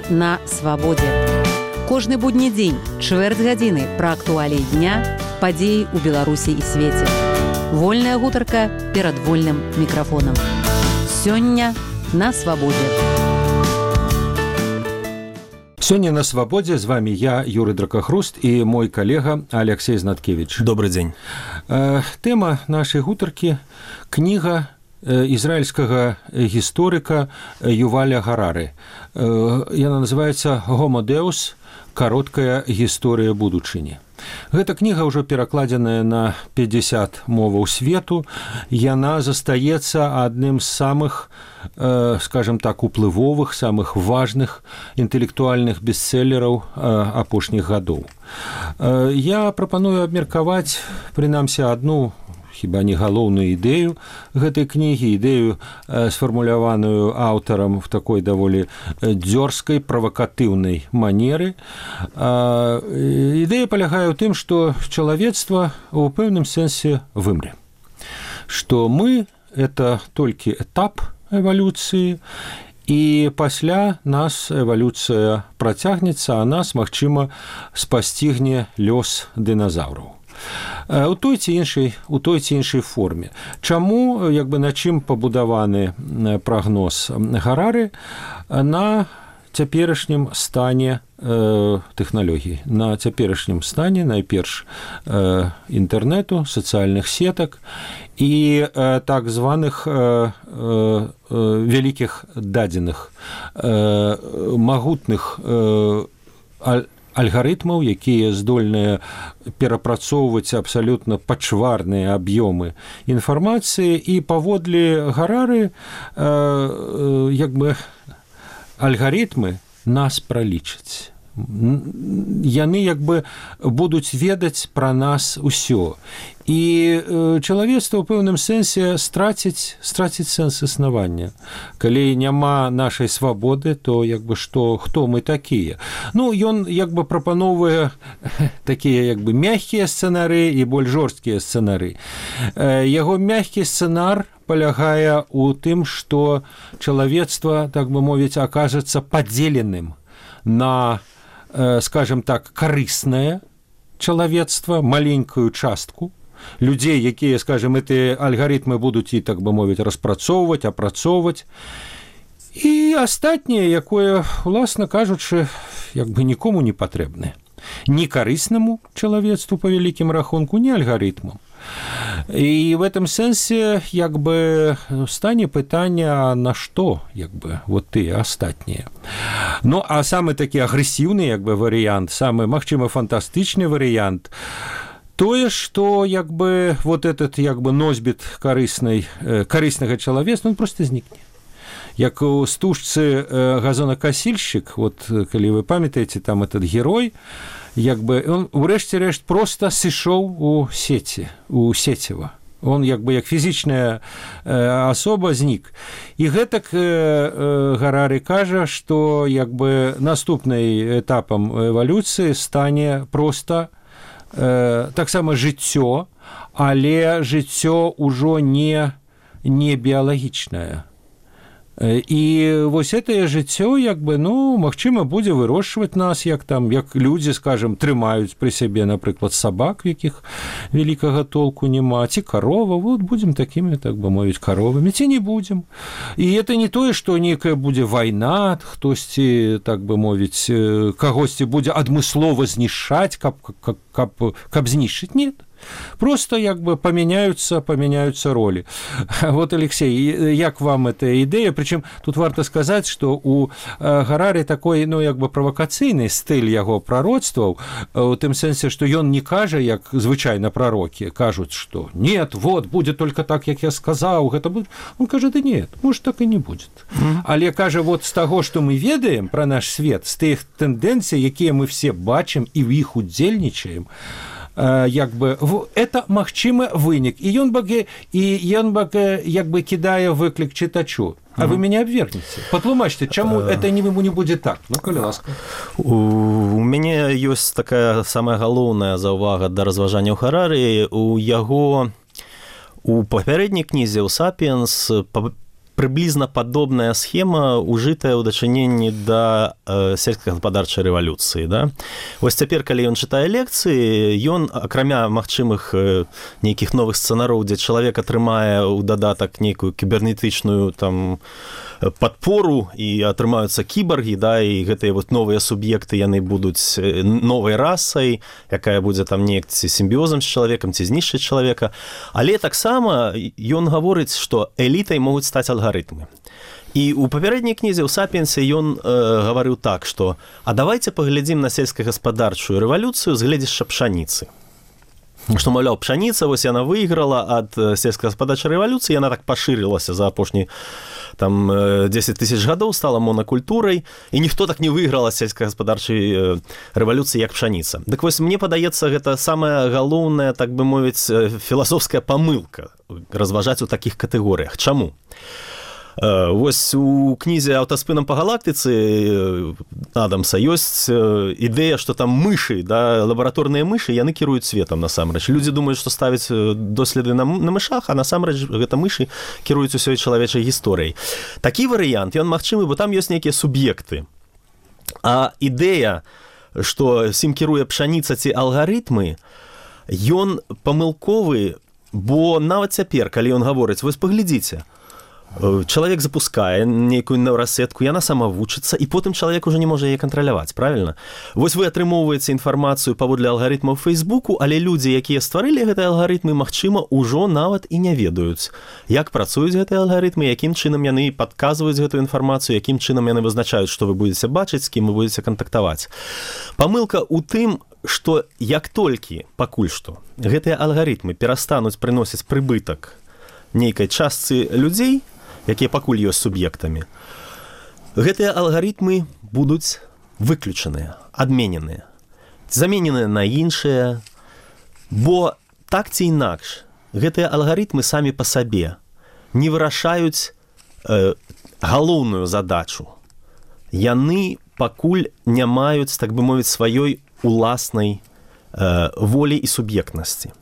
Сёння на свабодзе. Кожны будні дзень, чвэрць гадзіны пра актуаліі дня, падзеі ў Беларусі і свеце. Вольная гутарка перад вольным мікрафонам. Сёння на свабодзе. Сёння на свабодзе з вами я, Юрый Дракахруст, і мой калега Алексей Знаткевич. Добрый дзень. Тэма нашай гутаркі – кніга ізраільскага гісторыка Юваля Гарары. Яна называецца «Homo Deus. Кароткая гісторыя будучыні». Гэта кніга ўжо перакладзеная на 50 моваў свету. Яна застаецца адным з самых, скажем так, уплывовых, самых важных інтэлектуальных бестселераў апошніх гадоў. Я прапаную абмеркаваць, прынамсі, адну хіба не галоўную ідэю гэтай кнігі, ідэю, сфармуляваную аўтарам в такой даволі дзёрзкай, правакатыўнай манеры. Ідэя палягае ў тым, што чалавецтва ў пэўным сэнсе вымре. Што мы – это толькі этап эвалюцыі, і пасля нас эвалюцыя працягнецца, а нас, магчыма, спасцігне лёс дыназаўраў. У той ці іншай форме. Чаму, на чым пабудаваны прагноз Гарары? На цяперашнім стане тэхналогій, на цяперашнім стане, найперш, інтэрнэту, сацыяльных сетак і так званых вялікіх дадзеных, магутных алгарытмаў, якія здольныя перапрацоўваць абсалютна пачварныя аб'ёмы інфармацыі, і паводле Гарары алгарытмы нас пралічаць. Яны будуць ведаць пра нас усё. І чалавецтва ў пэўным сэнсе страціць сэнс існавання. Калі няма нашай свабоды, то хто мы такія? Ён прапаноўвае такія мягкія сцэнары і больш жорсткія сцэнары. Яго мягкі сцэнар палягае ў тым, што чалавецтва, так бы мовіць, акажацца падзеленым на, скажем так, карыснае чалавецтва, маленькую частку людзей, якія, скажем, эти алгарытмы будуць і, так бы мовіць, распрацоўваць, апрацоўваць. І астатняе, якое, уласна кажучы, нікому не патрэбнае. Ні карыснаму чалавецтву па вялікім рахунку, ні алгарытмам. І в этом сэнсе стане пытанне, на што вот тыя астатнія. А самы такі агрэсіўны варыянт, самы, магчыма, фантастычны варыянт тое, што вот этот носьбіт карыснага чалавецтва, он проста знікне. Як у стужцы газонакасільшчык, калі вы памятаеце, там этот герой, он урэшце рэшт проста сышоў у сеціва. Он як фізічная асоба знік. І гэтак Гарары кажа, што наступным этапам эвалюцыі стане проста таксама жыццё, але жыццё ўжо не біялагічнае. І вось гэтае жыццё, магчыма, будзе вырошчваць нас, як людзі, скажем, трымаюць пры сябе, напрыклад, сабак, якіх вялікага толку няма, ці карова, будзем такімі, так бы мовіць, каровамі, ці не будзем. І это не тое, што нейкая будзе вайна, хтосьці, так бы мовіць, кагосьці будзе адмыслова знішчаць, каб знішчыць, нет. Просто памяняюцца ролі. Вот, Алексей, як вам эта ідэя? Прычым тут варта сказаць, што у Гарары такой, правакацыйны стыль яго прароцтваў, у тым сэнсе, што ён не кажа, як звычайна прарокі кажуць, што нет, вот, будзе только так, як я сказаў, гэта будзе. Он кажа, да нет, может, так і не будзе. Але кажа, вот з таго, што мы ведаем пра наш свет, з тых тэндэнцый, якія мы все бачым і ў іх удзельнічаем, это магчымы вынік. І ён кідае выклік чытачу. А вы мяне абвергнеце. Патлумачце, чаму это не будзе так? Калі ласка. У мяне ёсць такая самая галоўная заўвага да разважанняў Гарары. У яго у папярэдняй кнізе ў «Сапіенс» прыблізна падобная схема, ужытая ў дачыненні да сельскагаспадарчай рэвалюцыі. Да? Вось цяпер, калі ён чытае лекцыі, ён, акрамя магчымых нейкіх новых сцэнароў, дзе чалавек атрымае ў дадатак нейкую кібернетычную там падпору і атрымаюцца кіборгі, да, і гэтыя вот новыя суб'екты, яны будуць новай расай, якая будзе там неяк ці сімбіозам з чалавекам, ці знішчыць чалавека. Але таксама ён гаворыць, што элітай могуць стаць алгарытмы. І ў папярэдняй кнізе ў «Сапіенсе» ён гаварыў так, што «А давайте паглядзім на сельскагаспадарчую рэвалюцыю з гледзяшча пшаніцы». Што, маўляў, пшаніца, вось яна выйграла ад сельскагаспадарчай рэвалюцыі, яна так пашырылася за апошні там 10 тысяч гадоў, стала монакультурай, і ніхто так не выйграла сельскагаспадарчай рэвалюцыі, як пшаніца. Дык вось, мне падаецца, гэта самая галоўная, так бы мовіць, філасофская памылка разважаць у такіх катэгорыях. Чаму? Вось у кнізе «Аўтаспынам па галактыцы» Адамса ёсць ідэя, што там мышы, да, лабараторныя мышы, яны кіруюць светам насамрэч. Людзі думаюць, што ставяць доследы на мышах, а насамрэч гэта мышы кіруюць усёй чалавечай гісторыяй. Такі варыянт, ён магчымы, бо там ёсць нейкія суб'екты. А ідэя, што сім кіруе пшаніца ці алгарытмы, ён памылковы, бо нават цяпер, калі ён гаворыць, вось паглядзіце, чалавек запускае нейкую нейрасетку, яна сама вучыцца, і потым чалавек уже не можа яе кантраляваць, правільна? Вось вы атрымоўваеце інфармацыю паводле алгарытмаў Фейсбуку, але людзі, якія стварылі гэтыя алгарытмы, магчыма, ужо нават і не ведаюць, як працуюць гэтыя алгарытмы, якім чынам яны падказваюць гэтую інфармацыю, якім чынам яны вызначаюць, што вы будзеце бачыць, з кім вы будзеце кантактаваць. Памылка ў тым, што як толькі, пакуль што, гэтыя алгарытмы перастануць прыносіць прыбытак нейкай частцы людзей, якія пакуль ёсць суб'ектамі, гэтыя алгарытмы будуць выключаныя, адмененыя, замененыя на іншыя, бо так ці інакш гэтыя алгарытмы самі па сабе не вырашаюць галоўную задачу. Яны пакуль не маюць, так бы мовіць, сваёй уласнай волі і суб'ектнасці.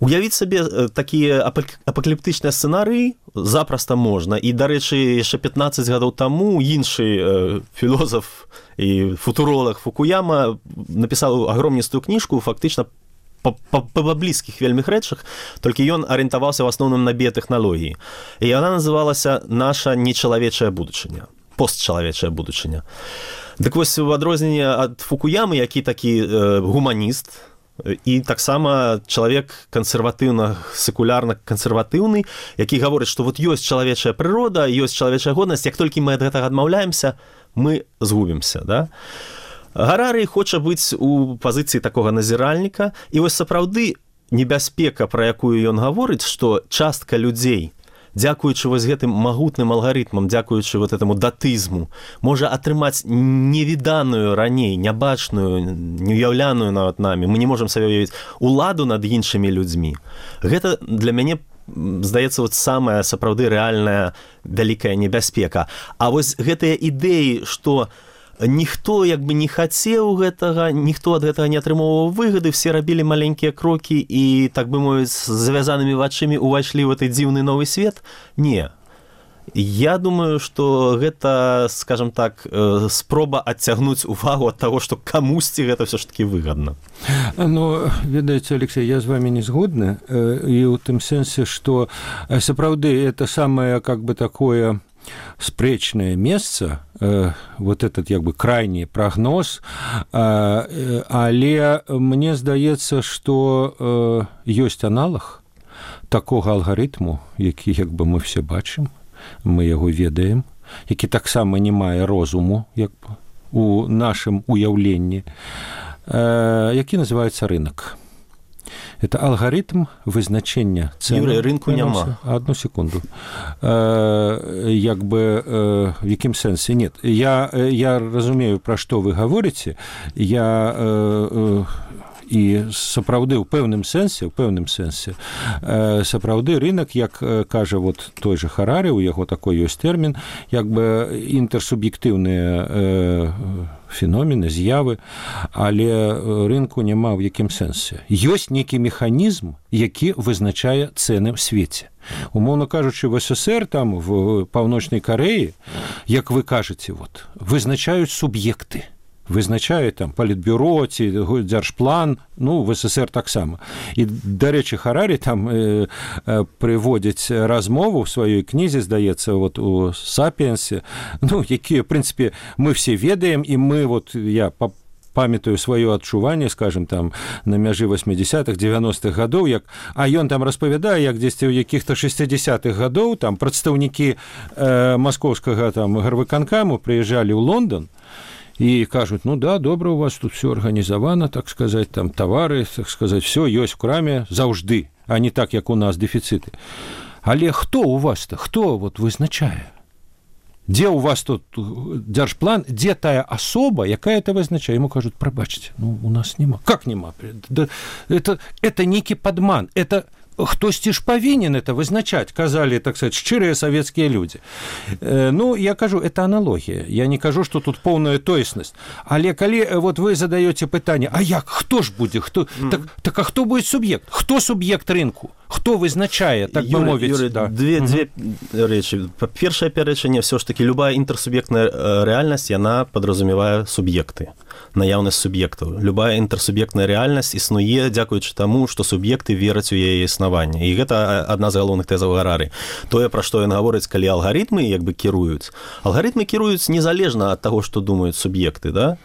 Уявіць сабе такія апакаліптычныя сцэнарыі запросто можна. І, дарэчы, яшчэ 15 гадоў таму іншы філозаф і футуролог Фукуяма напісаў агромністую кніжку фактычна па блізкіх вельмі рэчах, толькі ён арыентаваўся в асноўным на біятэхналогіі. І яна называлася «Наша нечалавечая будучыня», постчалавечая будучыня. Дык вось, у адрозненне ад Фукуямы, які такі гуманіст, і таксама чалавек кансерватыўна-секулярна-кансерватыўны, які гаворыць, што вот ёсць чалавечая прырода, ёсць чалавечая годнасць, як толькі мы ад гэтага адмаўляемся, мы згубімся. Да? Гарарый хоча быць у пазіцыі такога назіральніка, і вось сапраўды небяспека, пра якую ён гаворыць, што частка людзей, дзякуючы вось гэтым магутным алгарытмам, дзякуючы вот этому датызму, можа атрымаць невіданую раней, нябачную, неуяўляную нават намі. Мы не можам сабе уявіць уладу над іншымі людзьмі. Гэта для мяне, здаецца, вот самая сапраўды рэальная вялікая небяспека. А вось гэтыя ідэі, што ніхто як бы не хацеў гэтага, ніхто ад гэтага не атрымоўваў выгады, все рабілі маленькія крокі і, так бы мовіць, з завязанымі вачымі увайшлі ў гэты дзіўны новы свет. Не. Я думаю, што гэта, скажем так, спроба адцягнуць увагу ад таго, што камусьці гэта ўсё ж такі выгадна. Ну, ведаеце, Алексей, я з вами не згодны, і ў тым сэнсе, што сапраўды это самае, как бы, такое спрэчнае месца, вот этот як бы крайні прагноз, але мне здаецца, што ёсць аналаг такога алгарытму, які як бы мы все бачым, мы яго ведаем, які таксама не мае розуму як бы у нашым уяўленні, які называецца рынок. Это алгарытм вызначення цены. Юрий, рынку няма. Одну секунду. Як бы, в якім сэнсе? Нет. Я разумею, пра што вы гаворыце. і сапраўды ў пэўным сэнсе сапраўды рынок, як кажа вот той же Харары, у яго такой ёсць тэрмін, як бы інтэрсуб'ектыўныя феномены, з'явы, але рынку няма ў якім сэнсе. Ёсць нейкі механізм, які вызначае цэны ў свеце. Умоўна кажучы, в СССР, там, в Паўночнай Карэі, як вы кажаце, вот, вызначаюць суб'екты. Вызначае там палітбюро ці дзяржплан, ну, в СССР таксама. І, дарэчы, Харарі там прыводзіць размову в сваёй кнізе, здаецца, вот у «Сапіенсе», ну, якія, в прынцыпе, мы все ведаем, і мы, вот, я памятаю сваё адчуванне, скажем, там, на мяжы 80-х, 90-х гадоў, як, а ён там распавядае, як дзесьці ў якіх-то 60-х гадоў там прадстаўнікі маскоўскага там гарвыканкаму прыязджалі ў Лондон, и кажут, ну да, добра, у вас тут все организовано, так сказать, там товары, так сказать, все есть в краме заўжды, а не так, як у нас дефициты. Але хто у вас-то, хто вот вызначае? Где у вас тут дзяржплан, где тая особа, якая это вызначае? Ему кажут, прабачьте, ну у нас нема. Как нема? Это некий подман, это... Хтосьці ж павінен это вызначаць, казалі, так сказать, шчырыя савецкія людзі. Ну, я кажу, это аналогія. Я не кажу, што тут поўная тоеснасць. Але калі вот вы задаёце пытанне, а як, хто ж будзе? Так а хто будзе суб'ект? Хто суб'ект рынку? Хто вызначае, так бы мовіць? Юрий, да. Две речи. Першае пярэчанне, все ж таки любая інтэрсуб'ектная рэальнасць, яна падразумевае суб'екты. Наяўнасць суб'ектаў. Любая інтэрсуб'ектная рэальнасць існуе дзякуючы таму, што суб'екты вераць у яе існаванне. І гэта адна з галоўных тэзаў Гарары. Тое, пра што ён гаворыць, калі алгарытмы як бы кіруюць. Алгарытмы кіруюць незалежна ад таго, што думаюць суб'екты, да?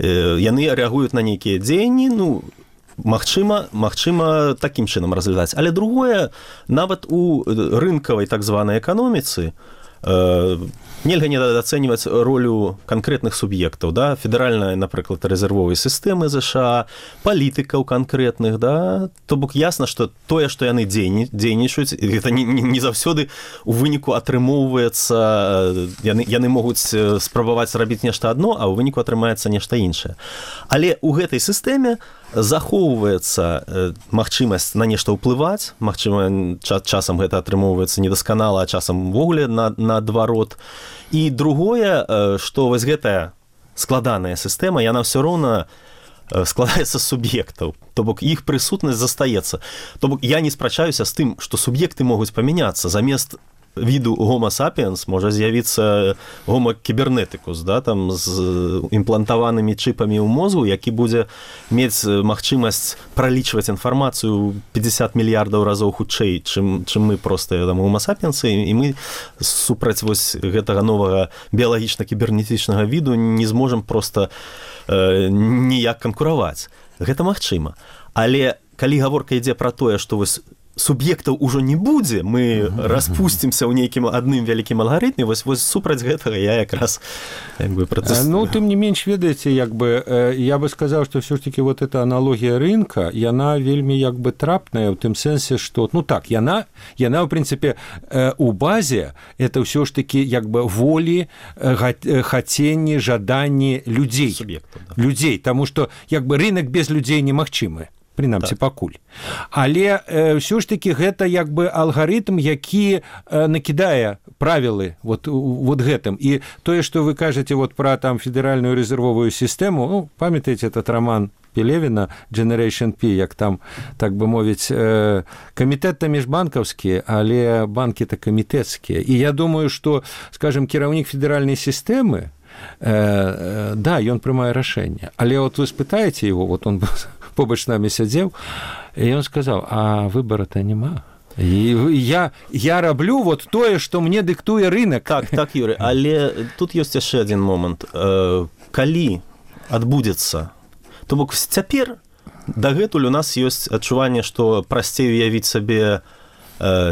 Яны рэагуюць на нейкія дзеянні, ну, магчыма, такім чынам разглядаць. Але другое, нават у рынкавай так званай эканоміцы нельга недооценивать ролю конкретных субъектов, да, федеральная, например, резервовой системы США, политиков конкретных, да, то бок ясно, что тое, что яны дзейнічаюць, это не заўсёды у выніку атрымоўваецца, яны могуць спрабаваць зрабіць нешта адно, а ў выніку атрымаецца нешта іншае. Але ў гэтай сістэме захоўваецца магчымасць на нешта ўплываць, магчыма, часам гэта атрымоўваецца недасканала, а часам увогуле наадварот. І другое, што вось гэтая складаная сістэма, яна ўсё роўна складаецца з суб'ектаў, то бок іх прысутнасць застаецца. То бок я не спрачаюся з тым, што суб'екты могуць памяняцца, замест віду Homo sapiens можа з'явіцца Homo kyberneticus, да, там з імплантаванымі чыпамі ў мозгу, які будзе мець магчымасць пралічваць інфармацыю 50 мільярдаў разоў хутчэй, чым мы проста там Homo sapiens, і мы супраць вось гэтага новага біялагічна-кібернетычнага віду не зможам проста ніяк канкураваць. Гэта магчыма. Але калі гаворка ідзе пра тое, што вось суб'ектаў ужо не будзе, мы распусцімся ў нейкім адным вялікім алгарытме, вось супраць гэтага я якраз як бы протестую. Ну, тым не менш, ведаеце, як бы, я бы сказаў, што ўсё ж таки вот эта аналогія рынка, яна вельмі як бы трапная ў тым сэнсе, што, ну так, яна ў прынцыпе у базе это ўсё ж таки як бы волі, хаценні, жаданні людзей. Суб'ектаў, да. Людзей, таму што як бы рынок без людзей немагчымы. Прынамсі, пакуль. Але ўсё ж такі гэта як бы алгарытм, які накідае правілы вот гэтым. І тое, што вы кажаце вот пра там федэральную рэзервовую сістэму, ну, памятаеце этот роман Пелевіна Generation P, як там, так бы мовіць, камітэт-то міжбанкаўскі, але банкі-то камітэцкія. І я думаю, што, скажем, кіраўнік федэральнай сістэмы, да, ён прымае рашэнне. Але вот вы спытаеце его, вот он побач з намі сядзеў, і ён сказаў, а выбара-то няма. І я раблю вот тое, што мне дыктуе рынок. Так, Юрий, але тут ёсць яшчэ адзін момант. Калі адбудзецца, то бок цяпер дагэтуль у нас ёсць адчуванне, што прасцей уявіць сабе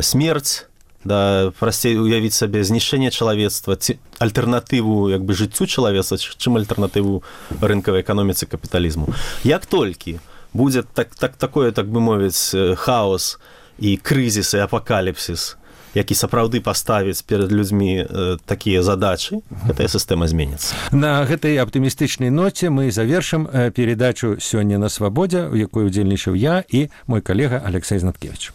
смерць, да, прасцей уявіць сабе знішчэнне чалавецтва, альтэрнатыву як бы жыццю чалавецтва, чым альтэрнатыву рынкавай эканоміцы капіталізму. Як толькі будзе такое, так бы мовіць, хаос і крызіс і апакаліпсіс, які сапраўды паставіць перад людзьмі такія задачы, гэтая сістэма зменіцца. На гэтай аптымістычнай ноце мы завершым перадачу «Сёння на свабодзе», у якой удзельнічаў я і мой калега Алексей Знаткевич.